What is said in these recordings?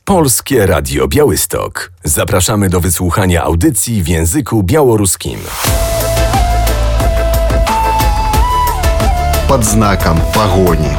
Polskie Radio Białystok. Zapraszamy do wysłuchania audycji w języku białoruskim. Pod znakiem pogoni.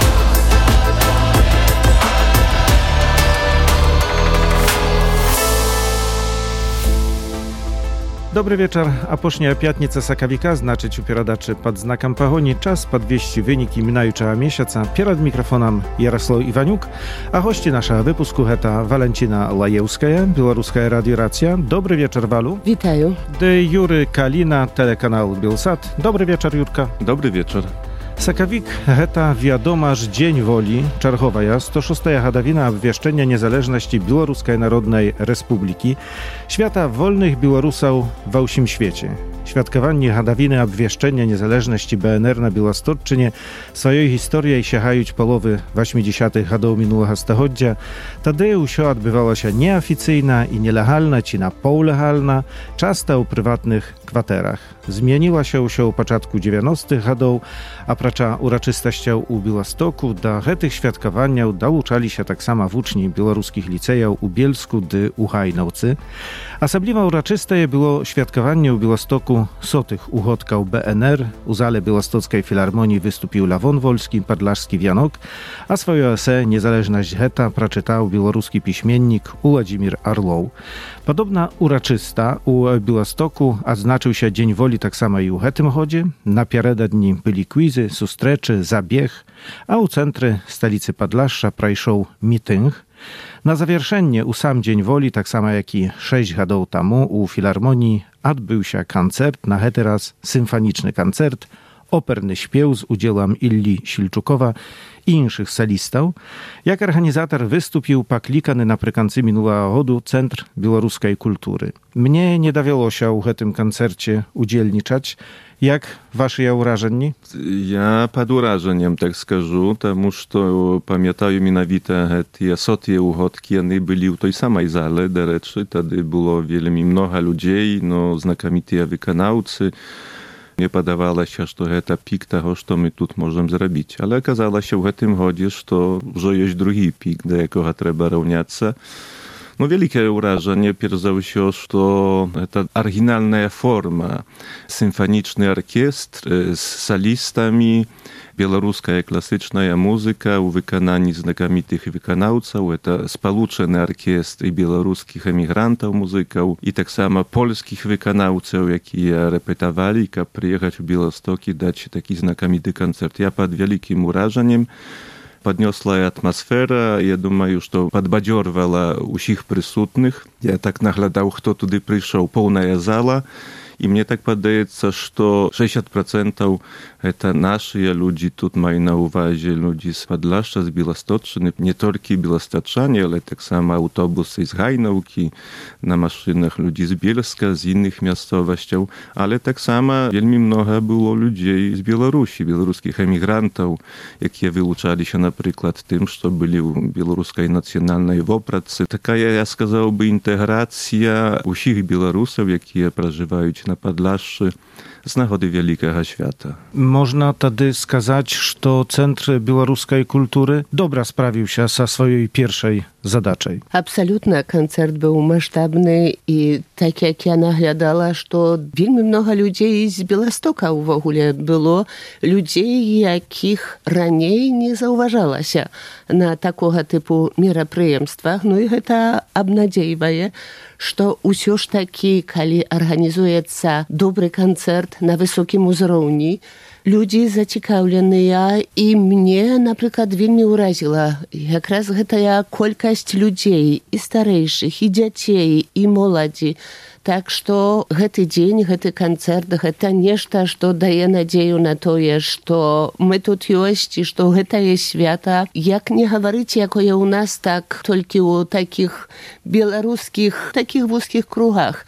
Dobry wieczór, a posznia piatnica sakawika, znaczyć u pieradaczy pod znakiem pogoni, czas podwieści wyniki minającego miesiąca. Przed mikrofonem Jarosław Iwaniuk, a gości naszego wypusku heta Walentina Lajewskaja, Białoruska Radio Racja. Dobry wieczór, Walu. Witają. De Jury Kalina, telekanał Bielsat. Dobry wieczór, Jurka. Dobry wieczór. Sakawik heta wiadomaż Dzień Woli, czarchowa ja, 106. hadawina obwieszczenia niezależności Białoruskiej Narodnej Republiki, świata wolnych Białorusów w całym świecie. Świadkowanie hadawiny obwieszczenia niezależności BNR na Białostocczynie swojej historii sięgają połowy 80. lat minionego stulecia. Wtedy wszystko odbywało się nieoficjalna i nielegalna, czy na półlegalna, często u prywatnych kwaterach. Zmieniła się u początku 90. lat, a pracza uroczystością u Białostoku do tych świadkowania dołączali się tak samo uczni białoruskich licejów u Bielsku dy u Hajnowcy. Osobliwie uroczyste było świadkowanie u Białostoku sotych uchodków BNR. U zale Białostockiej Filharmonii wystąpił Lawon Wolski, Podlaszski Wianok, a swoje esę Niezależność heta przeczytał białoruski piśmiennik Władimir Arlow. Podobna uroczysta u Białostoku odznaczył się Dzień Woli tak samo i u hetym chodzie. Na piereda dni byli quizy, sustreczy, zabieg, a u centry stolicy Podlasza prajszał meeting. Na zawieszenie u sam Dzień Woli, tak samo jak i 6 lat temu u Filharmonii odbył się koncert, na hety raz symfoniczny koncert, operny śpiew z udziałem Illi Silczukowa i innych solistów. Jak organizator wystąpił paklikany naprzykład minionego roku Centr Białoruskiej Kultury. Mnie nie dawiało się w tym koncercie udzielniczać. Jak wasze wrażenie? Ja pod wrażeniem, tak skażu, тому что pamiętają mianowite te sotie uchodki, one byli w tej samej zale, do rzeczy, wtedy było wiele mnogo ludzi, no znakomici wykonawcy. Nie podawało się, że to pik tego, co my tu możemy zrobić. Ale okazało się w tym chodzie, że już jest drugi pik, do jakiego trzeba równiać. No wielkie wrażenie pierzało się, że to oryginalna forma, symfoniczny orkiestr z solistami, białoruska klasyczna muzyka u wykonaniu znakomitych wykonawców, to spoluczony orkiestr i białoruskich emigrantów muzyków i tak samo polskich wykonawców, які repetowali, aby przyjechać w Białystok i dać taki znakomity koncert. Ja pod wielkim wrażeniem podniosła atmosfera, ja думаю, что подбадёрвала усіх присутных. Я так наглядаў, хто туды прыйшоў, поўная зала. И мне так падаецца, што 60% это нашыя людзі, тут маю на ўвазе людзі з Падлашча, з Біласточчыны, не толькі біластачане, але таксама аўтобусы з Гайнаўкі, на машынах людзі з Бельска, з інных мясцовасцяў, але таксама вельмі многа было людзей з Беларусі, беларускіх эмігрантаў, якія вылучаліся, напрыклад, тым, што былі ў беларускай нацыянальнай вопратцы. Такая, я сказаў бы, інтэграцыя ўсіх беларусаў, якія пражываюць na Podlaszczy z nagody wielkiego świata. Można wtedy skazać, że Centr Białoruskiej Kultury dobra sprawił się ze swojej pierwszej zadaczej. Absolutnie, koncert był masштабny i tak jak ja naglądała, że wiele mnogo ludzi z Białostoka w ogóle było, ludzi, jakich raniej nie zauważała się na takiego typu мероприемствах. No i to obnadziejuje, że все ж таки, kiedy organizujecie dobry koncert na wysokim uzrowni, ludzie zaciekawieni i mnie na przykład wielmi uraziła. Jak raz ta kolkość ludzi i starszych, i dzieci, i młodzi. Tak, że ten dzień, ten koncert, to nieszta, co daje nadzieję na to, że my tu jesteśmy, że to jest świata. Jak nie mówić, jako je u nas, tak tylko u takich białoruskich, takich wąskich krugach.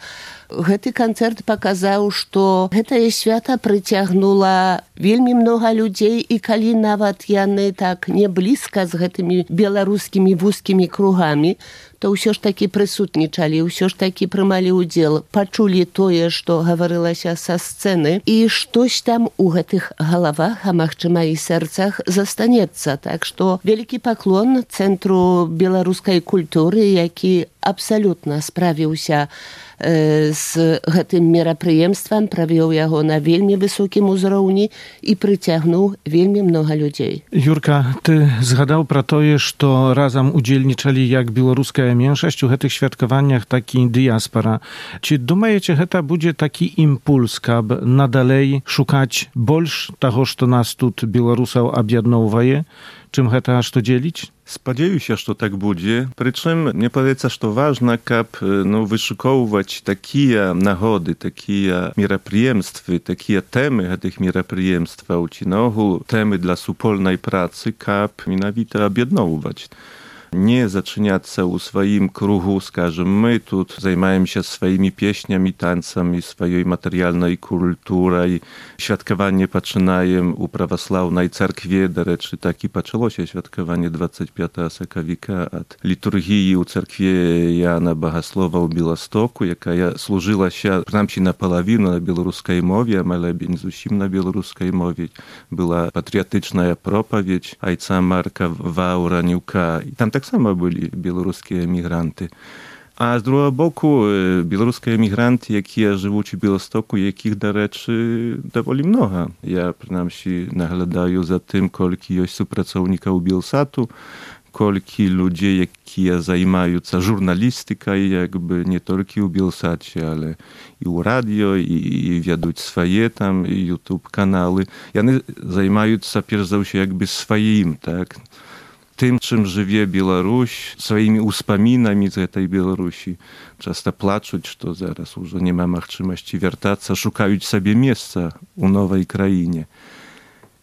Гэты канцэрт паказаў, што гэтае свята прыцягнула вельмі многа людзей, і калі нават яны так не блізка з гэтымі беларускімі вузкімі кругамі, то ўсё ж такі прысутнічалі, ўсё ж такі прымалі ўдзел, пачулі тое, што гаварылася са сцэны, і штось там у гэтых галавах, а магчыма і сэрцах застанецца. Так што вялікі паклон Цэнтру беларускай культуры, які абсалютна справіўся з гэтым мерапрыемствам, правёў яго на вельмі высокім узроўні і прыцягнуў вельмі многа людзей. Юрка, ты згадаў пра тое, што разам удзельнічалі як беларуская меншасць у гэтых святкаваннях, так і дыяспара. Ці думаеце, гэта будзе такі імпульс, каб надалей шукаць больш таго, што нас тут беларусаў аб'ядноўвае, чым гэта што дзеліць? Спадзяюся, што так будзе. Прычым, мне падаецца, што важна, каб вышукоўваць такія нагоды, такія мерапрыемствы, такія тэмы гэтых мерапрыемстваў, ці наогул тэмы для супольнай працы, каб менавіта аб'ядноўваць. Не зачыняцца ў сваім кругу, скажем, мы тут займаемся сваімі песнямі, танцамі, сваёй матэрыяльнай культурай. Святкаванне пачынаем у праваслаўнай царкве, дарэчы, так і пачалося святкаванне 25 сакавіка ад літургіі ў царкве Яна Багаслова ў Беластоку, якая служылася, прынамсі напалавіну на беларускай мове, але не зусім на беларускай мове. Была патрыятычная пропаведь айца Марка Ваўранюка. Там таксама былі беларускія эмігранты. А з другого боку, беларускія эмігранты, якія жывуць у Беластоку, якіх, дарэчы, даволі многа. Я, прынамсі, наглядаю за тым, колькі ёсць супрацоўнікаў Белсату, колькі людзей, якія займаюцца журналістыкай, як бы не толькі ў Белсаце, але і ў радыё, і вядуць свае там YouTube-каналы. Яны займаюцца, перш за ўсё, як бы сваім, так? Тым, чым жыве Беларусь, сваімі ўспамінамі з гэтай Беларусі. Часта плачуць, што зараз ужо няма магчымасці вяртацца, шукаюць сабе месца ў новай краіне.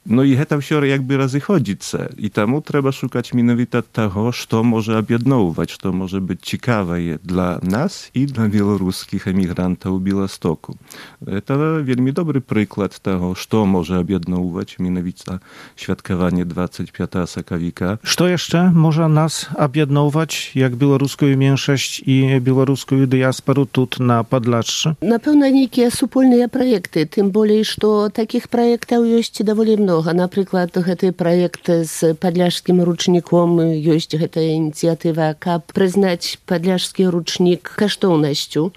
Ну і гэта ўсё як бы разыходзіцца. І таму трэба шукаць менавіта таго, што можа аб'ядноўваць, што можа быць цікавае для нас і для беларускіх эмігрантаў у Беластоку. Гэта вельмі добры прыклад таго, што можа аб'ядноўваць менавіта святкаванне 25 сакавіка. Што яшчэ можа нас аб'ядноўваць як беларускую меншасць і беларускую дыяспару тут на Падляшшы? Напэўна, нейкія супольныя праекты, тым болей, што такіх праектаў ёсць даволі многа. Напрыклад, гэты праект з падляшскім ручніком, ёсць гэтая ініцыятыва, каб прызнаць падляшскі ручнік каштоўнасцю.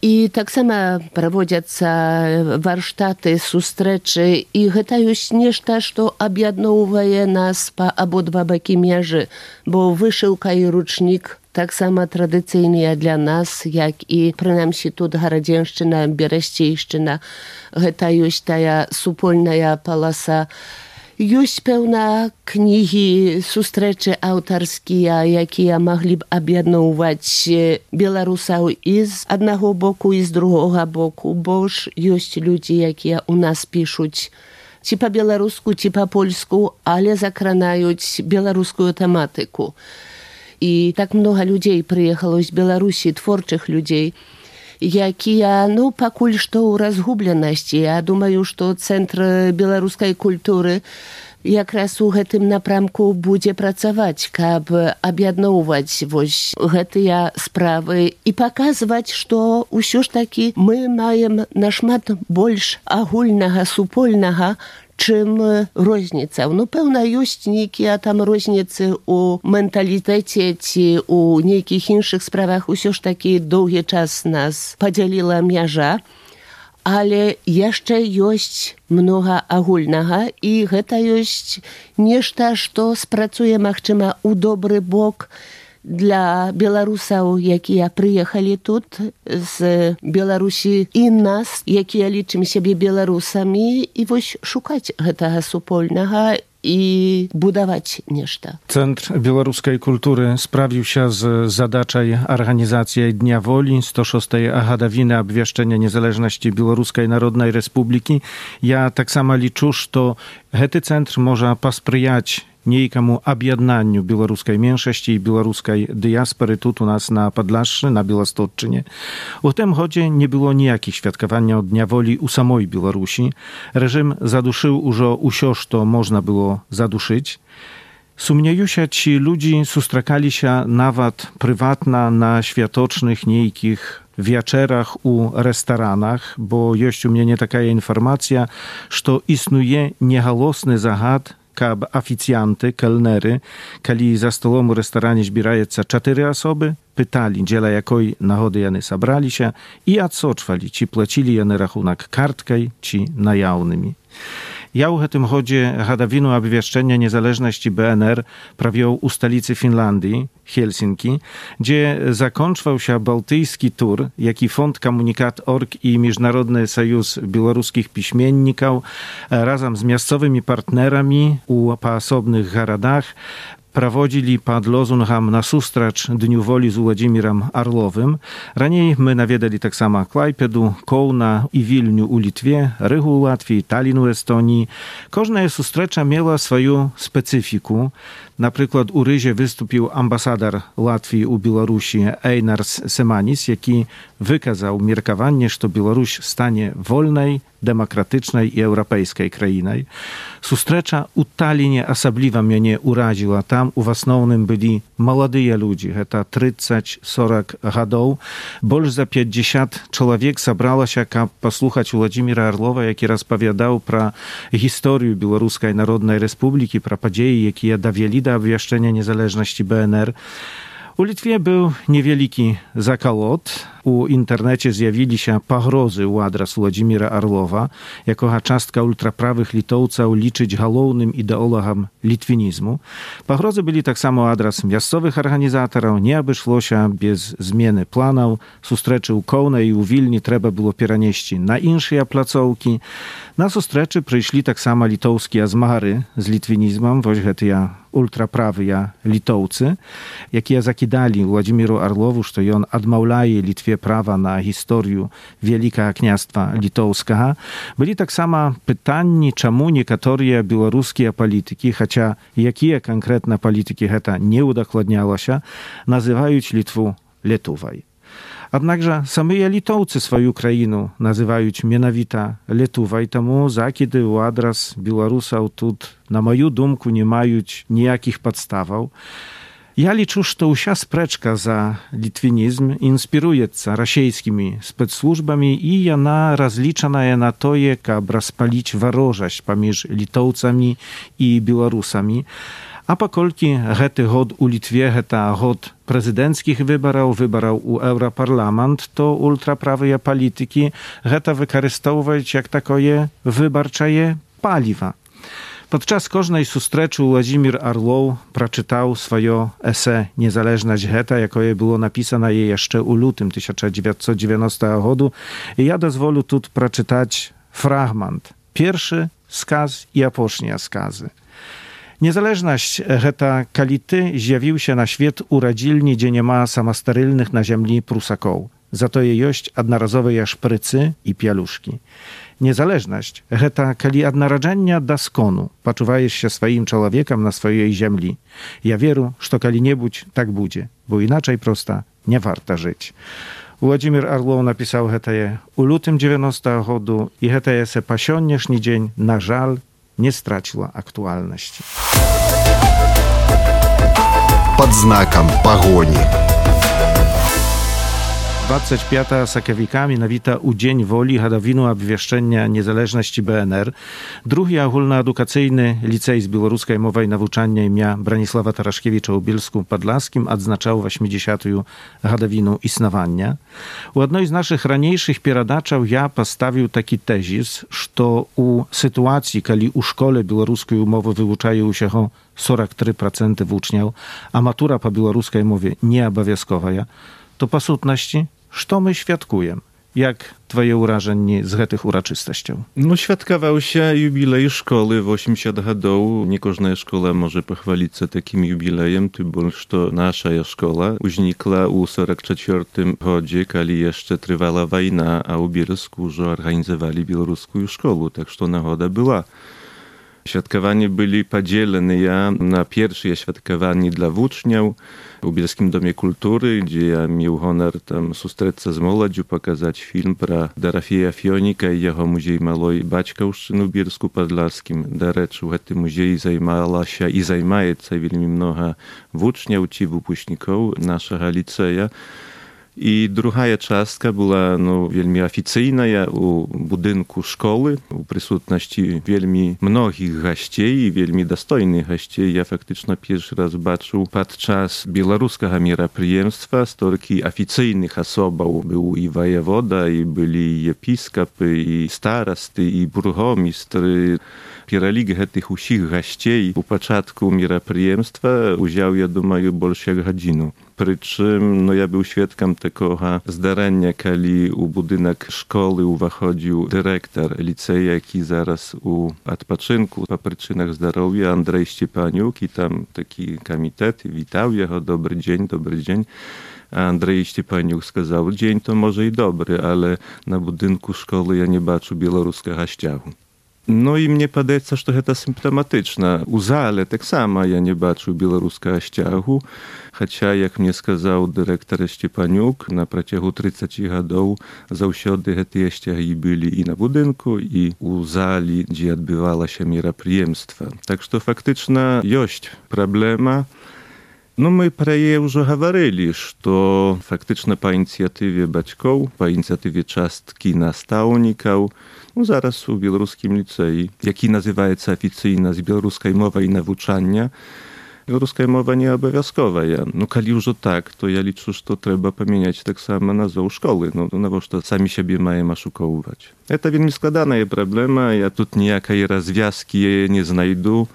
І таксама праводзяцца варштаты, сустрэчы, і гэта ёсць нешта, што аб'ядноўвае нас па абодва бакі межы, бо вышыўка і ручнік таксама традыцыйныя для нас, як і, прынамсі, тут Гарадзеншчына, Берасцейшчына. Гэта ёсць тая супольная паласа. Ёсць, пэўна, кнігі, сустрэчы аўтарскія, якія маглі б аб'ядноўваць беларусаў і з аднаго боку, і з другога боку, бо ж ёсць людзі, якія ў нас пішуць ці па-беларуску, ці па-польску, але закранаюць беларускую тэматыку. І так многа людзей прыехала з Беларусі, творчых людзей, якія, пакуль што ў разгубленасці. Я думаю, што Цэнтр беларускай культуры якраз у гэтым напрамку будзе працаваць, каб аб'ядноўваць вось гэтыя справы і паказваць, што ўсё ж такі мы маем нашмат больш агульнага, супольнага, чым розніца. Пэўна, ёсць нейкія там розніцы ў менталітэце ці ў нейкіх іншых справах. Усё ж такі доўгі час нас падзяліла мяжа, але яшчэ ёсць многа агульнага, і гэта ёсць нешта, што спрацуе, магчыма, у добры бок для беларусаў, якія прыехалі тут з Беларусі, і нас, якія лічым сябе беларусамі, і вось шукаць гэтага супольнага і будаваць нешта. Цэнтр беларускай культуры справіўся з задачай арганізацыі Дня волі 106 гадавіны абвешчэння незалежнасці Беларускай Народнай Рэспублікі. Я таксама лічу, што гэты цэнтр можа паспрыяць niejkamu abjednaniu białoruskiej mniejszości i białoruskiej diaspory tu u nas na Podlaszczy, na Białostocczynie. U tym chodzie nie było nijakich świadkowania Dnia Woli u samej Białorusi. Reżim zaduszył już usią, co można było zaduszyć. Sumniejusia ci ludzi sustrakali się nawet prywatna na światocznych niejkich wieczerach u restoranach, bo jest u mnie taka informacja, że istnieje niehalosny zagad, kab oficjanty, kelnery, kiedy za stolą u restoranie zbierają 4 osoby, pytali, dziela jakoj nagody jany sabrali się i odsoczwali, czy płacili jany rachunek kartką, czy najawnymi. Ja u tym chodzie hadawinu obwieszczenia niezależności BNR prawił u stolicy Finlandii, Helsinki, gdzie zakończył się bałtycki tur, jaki Fond Komunikat.org i Międzynarodny Sojusz Białoruskich Piśmienników razem z miejscowymi partnerami u poosobnych garadach prowadzili pod lozungiem na sustracz Dniu Woli z Włodzimierem Arlowym. Raniej my nawiedali tak samo Klajpedu, Kołna i Wilniu u Litwie, Rygu u Łatwii, Tallinn u Estonii. Każda sustracza miała swoją specyfikę. Na przykład u Ryzie wystąpił ambasador Łatwii u Białorusi Einars Semanis, jaki wykazał miarkowanie, że Białoruś stanie wolnej, demokratycznej i europejskiej krainą. Sustracza u Tallinie osobliwa mnie uraziła. Tam u основnym byli młodzi ludzie, to 30-40 lat. Больше za 50 człowiek zebrało się, aby posłuchać Włodzimira Arlowa, jaki rozpowiadał pro historię Białoruskiej Narodnej Republiki, pro podzieje, jakie dowieli do obwieszczenia niezależności BNR. U Litwie był niewielki zakolot. U internecie zjawili się pogrozy u adres Włodzimira Arlowa, jako czastka ultraprawych litowców liczyć głównym ideologiem litwinizmu. Pogrozy byli tak samo adres miejscowych organizatorów, nie obeszło się bez zmiany planów. Sustreczy u Kołna i u Wilni trzeba było przenieść na inne placówki. Na sustreczy przyszli tak samo litowskie zmagary z litwinizmem, właśnie te ultraprawy litowcy, jakie zakidali Włodzimiru Arlowu, że on odmawiaje Litwie prawa na historię Wielkiego Kniastwa Litowskiego. Byli tak samo pytani, czemu niektóre białoruskie polityki, chociaż jakie konkretne polityki to nie udokładniało się, nazywają Litwę Lietuvą. Jednakże sami Litowcy swoją krainę nazywają mianowita Lietuwa i temu zakidy u adres Białorusów tu, na moją dumku, nie mają nijakich podstawów. Ja liczę, że to usia spreczka za litwinizm inspiruje się rosyjskimi specsłużbami i ona rozliczana jest na to, aby rozpalić wrogość pomiędzy Litowcami i Białorusami. A pokolki hety hod u Litwie, heta hod prezydenckich wyborów u Europarlament, to ultraprawe polityki heta wykorzystywać jak takie wyborcze paliwa. Podczas każdej sustreczy Włodzimir Arlow przeczytał swoje esсе Niezależność heta, jakie było napisane jeszcze u lutym 1990 roku. I ja dozwolę tu przeczytać fragment. Pierwszy skaz i ostatnie skazy. Niezależność heta kality zjawił się na świat u rodzilni, gdzie nie ma samosterylnych na ziemi prusaków. Za to je jest jednorazowe szprycy i pieluszki. Niezależność heta kali od narodzenia do skonu poczuwajesz się swoim człowiekiem na swojej ziemi. Ja wierzę, że kali nie budź, tak będzie, bo inaczej prosta nie warto żyć. Włodzimir Arlow napisał hetaje u lutym 90 roku i hetaje se pasionieszny dzień, na żal, nie straciła aktualności. Pod znakiem pogoni. 25 sakowika, mianowita u Dzień Woli, hadawinu obwieszczenia niezależności BNR. Drugi ogólnoedukacyjny licej z białoruskiej mowy i nauczania imienia Bronisława Taraszkiewicza u Bielsku Podlaskim odznaczał 80. hadawinu istnowania. U jednej z naszych raniejszych pieradaczów ja postawił taki tezis, że u sytuacji, kiedy u szkole białoruskiej umowy wyuczają się 43% uczniów, a matura po białoruskiej mowie nie obowiązkowa, to po sutności, co my świadkujemy? Jak twoje wrażenie z tych uroczystości? No, świadkował się jubilej szkoły w 80 lat. Nie każda szkoła może pochwalić się takim jubilejem, tym bardziej, że nasza szkoła uznikła u 44 roku, kiedy jeszcze trwała wojna, a u Bielsku już organizowali białoruską szkołę, tak że nagoda była. Świadkowanie byli podzielone na pierwsze świadkowanie dla uczniów w Bielskim Domie Kultury, gdzie ja miał honor tam zustreться z młodzieżą, pokazać film pro Dorofeja Fionika i jego Muzej Małej Baćkowszczyny w Bielsku Podlaskim. Do rzeczy, w tym muzeju zajmowała się i zajmuje się wiele mnogo uczniów i wypuśników naszego liceja. I druga czastka była wielmi oficjalna u budynku szkoły, u prysutności wielmi mnogich gości i wielmi dostojnych gości. Ja faktycznie pierwszy raz zobaczył podczas białoruskiego мероприемstwa stolki oficjalnych osób. Był i wojewoda, i byli episkopy, i starosty, i burgomistry. Перелік tych усіх gości u początku мероприемstwa udział, ja думаю, больше godzinu. Причым, ja był świadkiem tego zdarzenia, kiedy u budynek szkoły wchodził dyrektor liceja, jaki zaraz u odpoczynku po przyczynach zdrowia, Andrzej Szczepaniuk, i tam taki komitet witał jego, dobry dzień. A Andrzej Szczepaniuk сказал, dzień to może i dobry, ale na budynku szkoły ja nie baczę białoruskiego ściagu. I mnie podaється, że to symptomatyczne. U zale tak samo ja nie baczył białoruskiego ściagu, chociaż, jak mnie сказал dyrektor Szczepaniuk, na przeciągu 30 lat zawsze te ściagi byli i na budynku, i u zali, gdzie odbywało się мероприемstwo. Tak że faktycznie jest problema. My про je już говорили, że faktycznie po inicjatywie baćków, po inicjatywie czastki nastavników, zaraz u białoruskim licei, jaki nazywa się oficjalnie z białoruskiej mowy i nauczania, białoruska mowa nie obowiązkowa. Kiedy już tak, to ja liczę, że trzeba zmieniać tak samo nazwę szkoły, bo to sami siebie mają oszukiwać. To wielmi składana problema, ja tu nijakiej rozwiązki nie znajdę.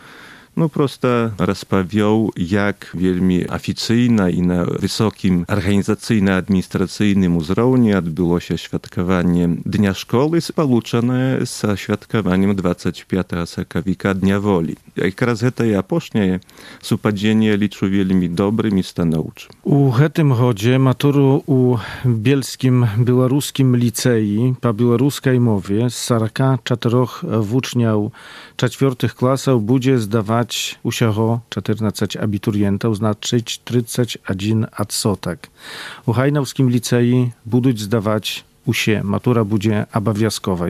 Prosto rozpowiedział, jak wielmi oficjalnie i na wysokim organizacyjno-administracyjnym uzrowniu odbyło się świadkowanie Dnia Szkoły, połączone z świadkowaniem 25 października Dnia Woli. Jak raz to ja posznie, supadzienie liczę wielmi dobrym i stanowczym. U tym chodzie maturu u Bielskim Białoruskim Licei po białoruskiej mowie z 44 uczniów 4 klasów będzie zdawać usieho 14 abiturientów, znaczyć 31 odsotek. U Hajnowskim Licei będą zdawać usie, matura będzie obowiązkowa.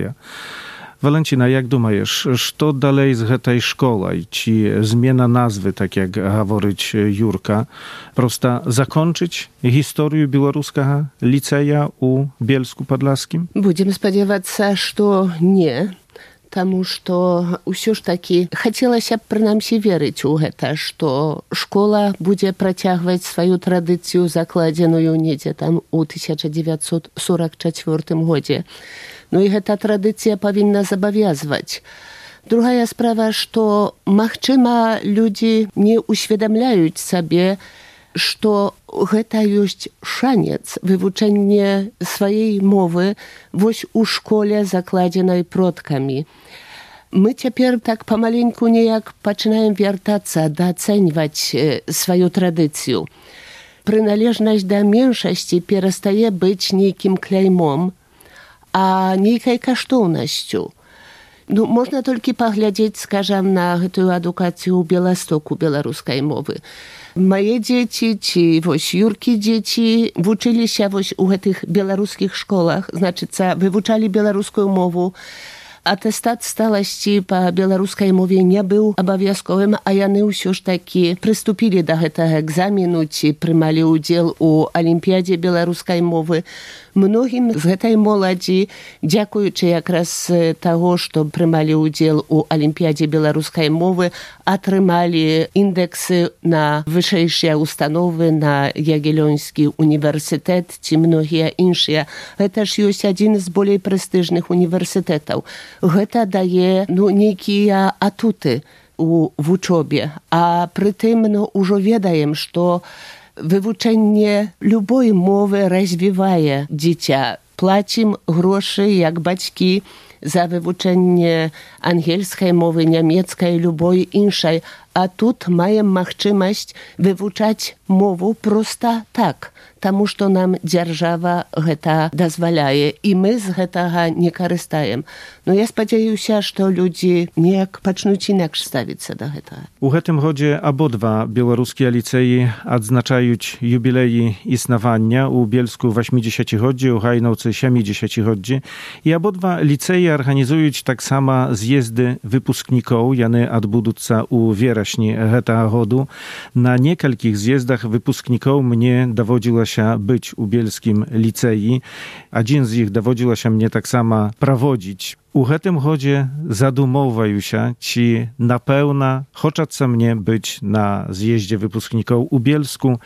Walentina, jak думаешь, co dalej z tej szkoły? Czy zmiana nazwy, tak jak говорить Jurka, prosto zakończyć historię białoruskiego liceja u Bielsku Podlaskim? Будем сподіватися, що ні. Таму што ўсё ж такі хацелася б прынамсі верыць у гэта, што школа будзе працягваць сваю традыцыю, закладзеную недзе там у 1944 годзе. І гэта традыцыя павінна забавязваць. Другая справа, што, магчыма, людзі не ўсведамляюць сабе, што гэта ёсць шанец вывучэння сваёй мовы вось у школе, закладзенай продкамі. Мы цяпер так памаленьку неяк пачынаем вяртацца, дацэньваць сваю традыцыю. Прыналежнасць да меншасці перастае быць нейкім кляймом, а нейкай каштоўнасцю. Можна толькі паглядзець, скажам, на гэтую адукацыю ў Беластоку беларускай мовы. Мае дзеці ці вось Юркі дзеці вучыліся вось у гэтых беларускіх школах, значыцца, вывучалі беларускую мову. Атэстат сталасці па беларускай мове не быў абавязковым, а яны ўсё ж такі прыступілі да гэтага экзамену ці прымалі ўдзел у алімпіядзе беларускай мовы. Многім з гэтай моладзі, дзякуючы якраз таго, што прымалі ўдзел у алімпіядзе беларускай мовы, атрымалі індэксы на вышэйшыя установы, на Ягелёнскі універсітэт ці многія іншыя. Гэта ж ёсць адзін з болей прэстыжных універсітэтаў. Гэта дае нейкія атуты у вучобе. А прытым ўжо ведаем, што вывучэнне любой мовы развівае дзіця. Плацім грошы, як бацькі, за вывучэнне ангельскай мовы, нямецкай, любой іншай, а тут маем магчымасць вывучаць мову проста так, таму што нам дзяржава гэта дазваляе, і мы з гэтага не карыстаем. Но я спадзяюся, што людзі неяк пачнуць інакш ставіцца да гэтага. У гэтым годзе абодва беларускія ліцэі адзначаюць юбілеі існавання. У Бельску 80-годдзе, у Гайнаўцы 70-годдзе. І абодва ліцэі арганізуюць таксама з'езды выпускнікоў. Яны адбудуцца ў верасні гэтага году. На некалькіх з'ездах выпускнікоў мне даводзілася быць у бельскім ліцэі. Адзін з іх даводзілася мне таксама праводзіць. У гэтым годзе задумоўваюся, ці напэўна хочацца мне быць на з'ездзе выпускнікоў у Бельску.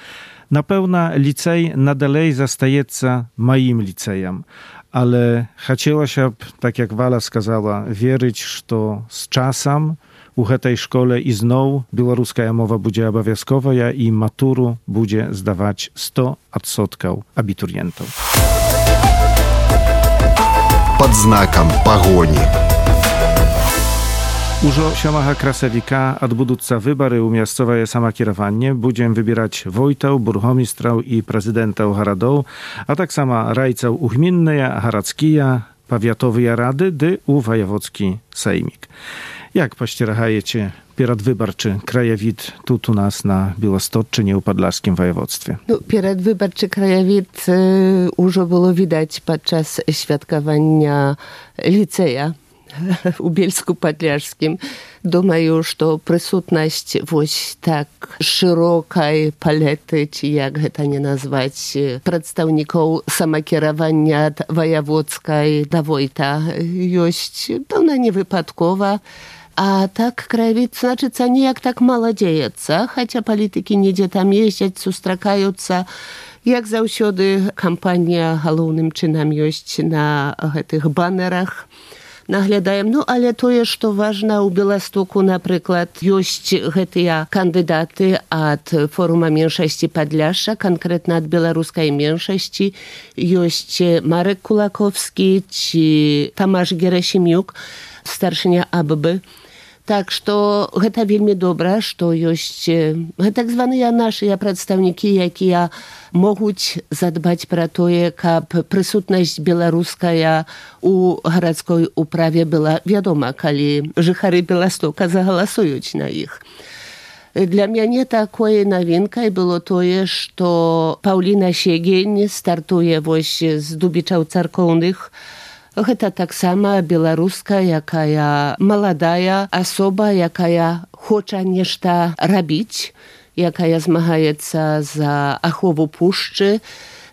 Напэўна, ліцэй надалей застаецца маім ліцэем. Але хацелася б, так як Вала сказала, верыць, што з часам у гэтай школе ізноў беларуская мова будзе абавязковая і матуру будзе здаваць 100% абітурыентаў. Под знаком погони. Ужо 7 красавіка адбудуцца выбары ў мясцовае самакіраванне. Будзем выбіраць войтаў, бургомістраў і прэзідэнтаў гарадоў, а таксама райцаў у гмінныя, гарадскія, павятовыя рады ды у ваяводскі сеймік. Як пасцерагаеце перадвыбарчы краявід тут у нас на Беластотчыне ў падляшскім ваяводстве? Перадвыбарчы краявід ужо было відаць падчас святкавання ліцэя у Бельску-Падляшскім. Думаю, што прысутнасць вось так шырокай палеты, ці як гэта не назваць, прадстаўнікоў самакіравання ад ваяводскай да войта ёсць, пэўна, не выпадкова. А так краявід, значыцца, неяк так мала дзеецца, хаця палітыкі недзе там ездзяць, сустракаюцца. Як заўсёды, кампанія галоўным чынам ёсць на гэтых банерах. Наглядаем. Але тое, што важна, у Беластоку, напрыклад, ёсць гэтыя кандыдаты ад форума меншасці Падляшша, канкрэтна ад беларускай меншасці. Ёсць Марек Кулаковскі ці Тамаш Герасімюк, старшыня АББ. Так што гэта вельмі добра, што ёсць так званыя нашыя прадстаўнікі, якія могуць задбаць пра тое, каб прысутнасць беларуская у гарадской управе была вядома, калі жыхары Беластока загаласуюць на іх. Для мяне такой навінкай было тое, што Паўліна Сегень стартуе вось з Дубічаў царкоўных. Гэта таксама беларуска, якая маладая асоба, якая хоча нешта рабіць, якая змагаецца за ахову пушчы.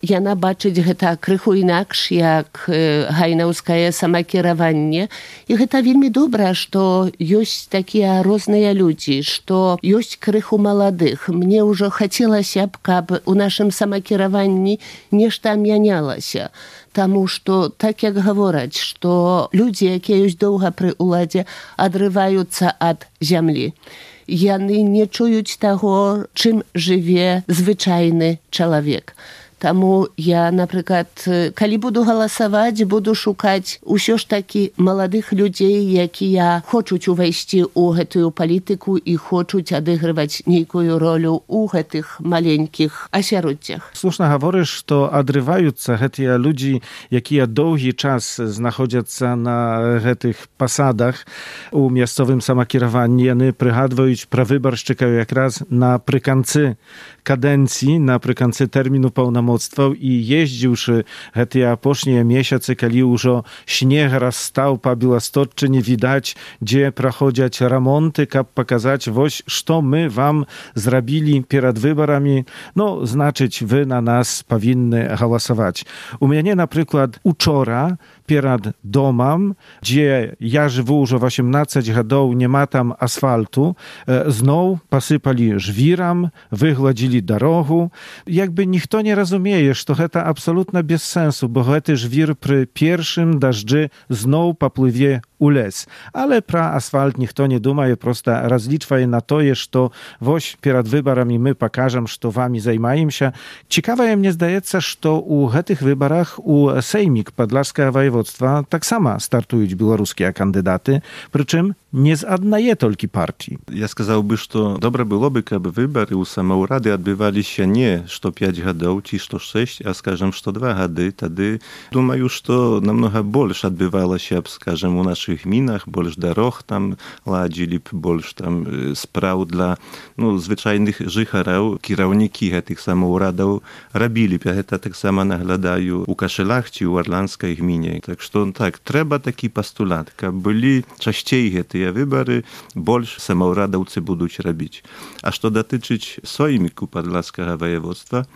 Яна бачыць гэта крыху інакш, як гайнаўскае самакіраванне. І гэта вельмі добра, што ёсць такія розныя людзі, што ёсць крыху маладых. Мне ўжо хацелася б, каб у нашым самакіраванні нешта мянялася. Таму што, так як гавораць, што людзі, якія ёсць доўга пры ўладзе, адрываюцца ад зямлі. Яны не чуюць таго, чым жыве звычайны чалавек. Таму я, напрыклад, калі буду галасаваць, буду шукаць усё ж такі маладых людзей, якія хочуць увайсці ў гэтую палітыку і хочуць адыгрываць нейкую ролю ў гэтых маленькіх асяроддзях. Слушна гаворыш, што адрываюцца гэтыя людзі, якія доўгі час знаходзяцца на гэтых пасадах у мясцовым самакіраванні. Яны прыгадваюць пра выбаршчыкаў якраз напрыканцы кадэнцыі, напрыканцы тэрміну паўнамоцтваў, і ездзіўшы гэтыя апошнія месяцы, калі ўжо снег расстаў па Беластотчыне, відаць, дзе праходзяць рамонты, каб паказаць, вось, што мы вам зрабілі перад выбарамі, значыць, вы на нас павінны галасаваць. У мяне, напрыклад, учора перад домам, дзе я жыву ўжо 18 гадоў, няма там асфальту, зноў пасыпалі жвірам, выгладзілі дарогу. Як бы ніхто не разумее, што гэта абсалютна без сэнсу, бо гэты жвір пры першым дажджы зноў паплыве у лес. Але про асфальт ніхто не думае, просто разлічвае на тое, што вось перад выбарамі мы пакажам, што вамі займаемся. Цікавае, мне здаецца, што ў гэтых выбарах у Сеймік Падлашскага воеводства таксама стартуюць беларускія кандыдаты, прычым не з аднае толькі партии. Я сказаў бы, што добра было бы, каб выбары ў самаўрады адбываліся не што 5 гадоў ці што 6, а, скажам, што 2 гады. Тады, думаю, што намнога больш адбывалася б, скажам, у нашых гмінах, больш дарог там ладзілі б, больш там спраў для звычайных жыхараў. Кіраўнікі гэтых самаўрадаў рабілі б. Я гэта таксама наглядаю у Кашэлах ці ў Арландскай гміне. Так што, так, трэба такі пастулат, каб былі часцей гэтыя выбары, больш самаўрадаўцы будуць рабіць. А што датычыць Сойміку Падлашскага воеводства,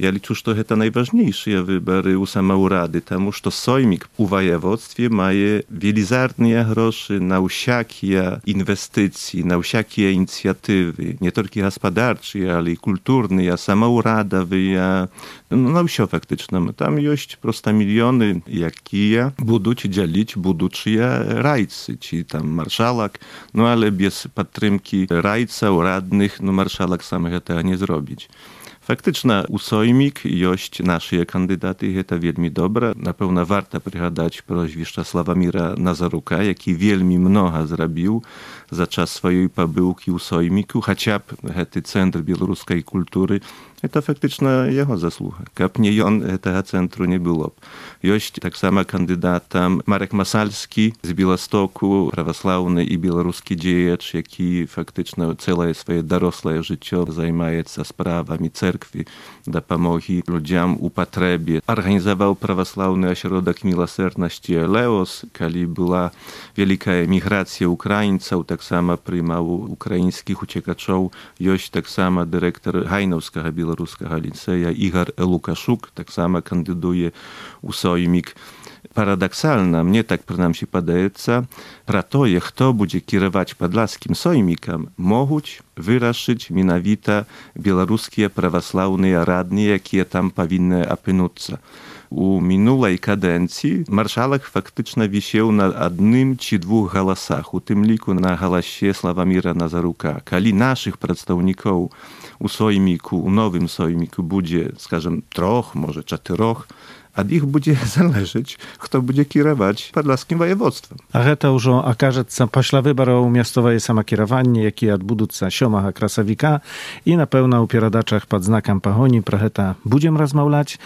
я лічу, што гэта найважнейшыя выбары ў самаўрады, таму што Соймік у воеводстве мае велізарныя грошы на ўсякія інвестыцыі, на ўсякія ініцыятывы, не толькі гаспадарчыя, але і культурныя, самаўрадавыя, на ўсё фактычна. Там ёсць проста мільёны, якія будуць дзяліць будучыя райцы, ці там маршалак, але без падтрымкі райцаў, радных, маршалак сам гэтага не зробіць. Фактычна, у Соймік ёсць нашыя кандыдаты, гэта вельмі добра. Напэўна, варта прыгадаць прозвішча Славаміра Назарука, які вельмі многа зрабіў за час сваёй пабыўкі ў Сойміку, хаця б гэты цэнтр беларускай культуры, гэта фактычна яго заслуга. Каб не ён, гэтага цэнтру не было б. Ёсць таксама кандыдатам Марек Масальскі з Беластоку, праваслаўны і беларускі дзеяч, які фактычна цэлае сваё дарослае жыццё займаецца справамі церкві, дапамогі людзям у патрэбе. Арганізаваў праваслаўны асяродак міласэрнасці Леос, калі была вялікая міграцыя украінцаў, таксама прымаў украінскіх уцекачоў. Ёсць таксама дырэктар Гайнаўскага беларускага ліцэя Ігар Лукашук, таксама кандыдуе ў Соймік. Парадаксальна, мне так прынамсі падаецца, пра тое, хто будзе кіраваць Падлашскім Соймікам, могуць вырашыць менавіта беларускія праваслаўныя радныя, якія там павінны апынуцца. У мінулай кадэнцыі маршалак фактычна вісеў на 1 ці 2 галасах, у тым ліку на галасе Славаміра Назарука. Калі нашых прадстаўнікоў у Сойміку, у новым Сойміку будзе, скажам, 3, можа 4, ад іх будзе залежаць, хто будзе кіраваць Падлашскім воеводствам. А гэта ўжо акажацца пасля выбараў мясцовае самакіраванне, якія адбудуцца 7 красавіка, і, напэўна, у перадачах пад знакам пагоні пра гэта будзем размаўляць.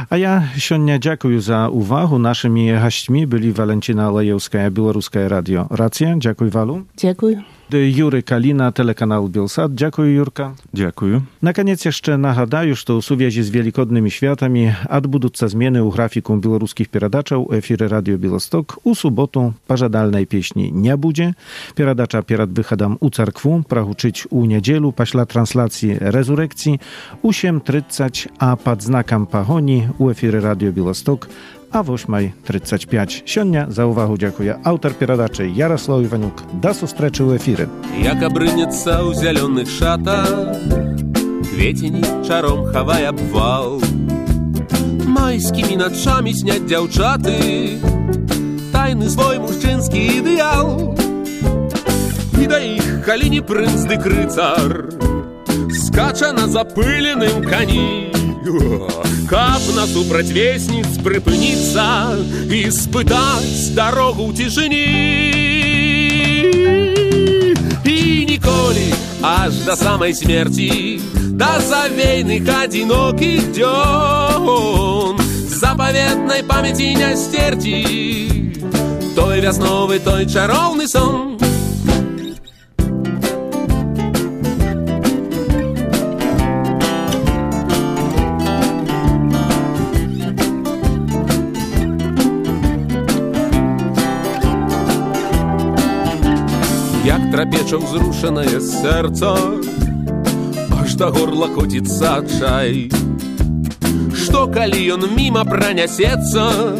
А я сёння дзякую за увагу. Нашымі гасцьмі былі Валенціна Лаеўская, Беларускае радио Рацыя. Дзякуй, Валу. Дзякуй. Юры Калина, телеканал Белсат. Дзякую, Юрка. Дзякую. Наконец jeszcze нагадаю, што ў сувязі з велікоднымі святамі адбудуцца змены ў графіку беларускіх перадачаў у эфіры радио Белосток. У суботу пажадальнай песні не будзе. Перадача перад выхадам у царкву прагучыць у нядзелу пасля трансляцыі рэзурэкцыі у 7:30, а пад знакам пагоні у эфіры радио Белосток a 8:35. Сёння за увагу дзякуе аўтар перадачы Ярослав Іванюк. Да сустрэчы ў эфіры. Як абрынецца ў зялёных шатах, кветень чаром хавае абвал. Майскімі начамі сняць дзяўчаты тайны свой мужчынскі ідэал. І да іх калі не прынц дык рыцар скача на запыленым кані. Каб насупраць весніц прыпыніцца і спытаць дарогу ў цішыні. І ніколі, аж да самай смерці, да завейных адзінокіх дзён, запаветнай памяці не стерці той вясновы, той чароўны сон. Як трапеча ўзрушанае сэрца, аж да горла коціцца адчай. Што калі ён міма пранясецца,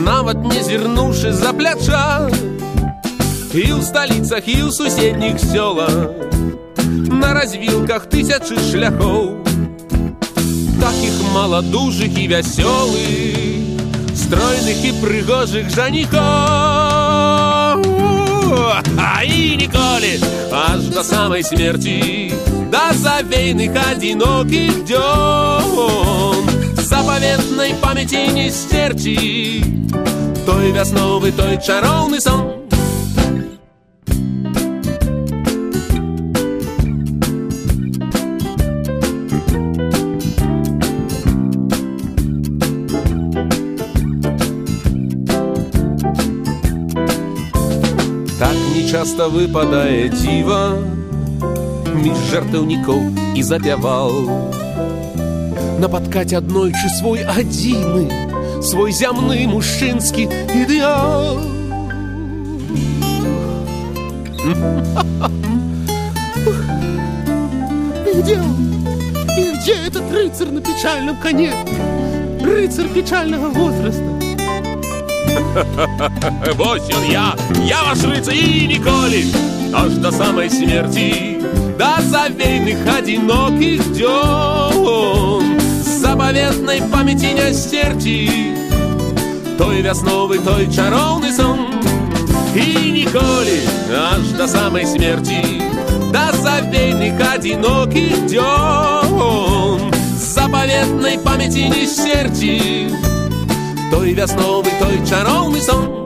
нават не зірнуўшы за пляча. І ў сталіцах, і ў суседніх сёлах, на развілках тысячы шляхоў, такіх маладужых і вясёлых, стройных і прыгожых жаніхоў. И ніколі, аж до самой смерти, до завейных одиноких дён, заповедной памяти не стерти той весновый, той чаровный сон. Так нечасто выпадае дзіва між жартаўнікоў і запяваў напаткаць аднойчы свой адзіны, свой зямны мужчынскі ідэал. Где он? И где этот рыцарь на печальном коне? Рыцарь печального возраста. Вось он я ваш рыцарь и ніколі, аж до самой смерти, до завейных одиноких дён, заповедной памяти не стерти той весновый, той чаровный сон. И ніколі, аж до самой смерти, до завейных одиноких дён, заповедной памяти не стерти той весновый, той чаровный сон.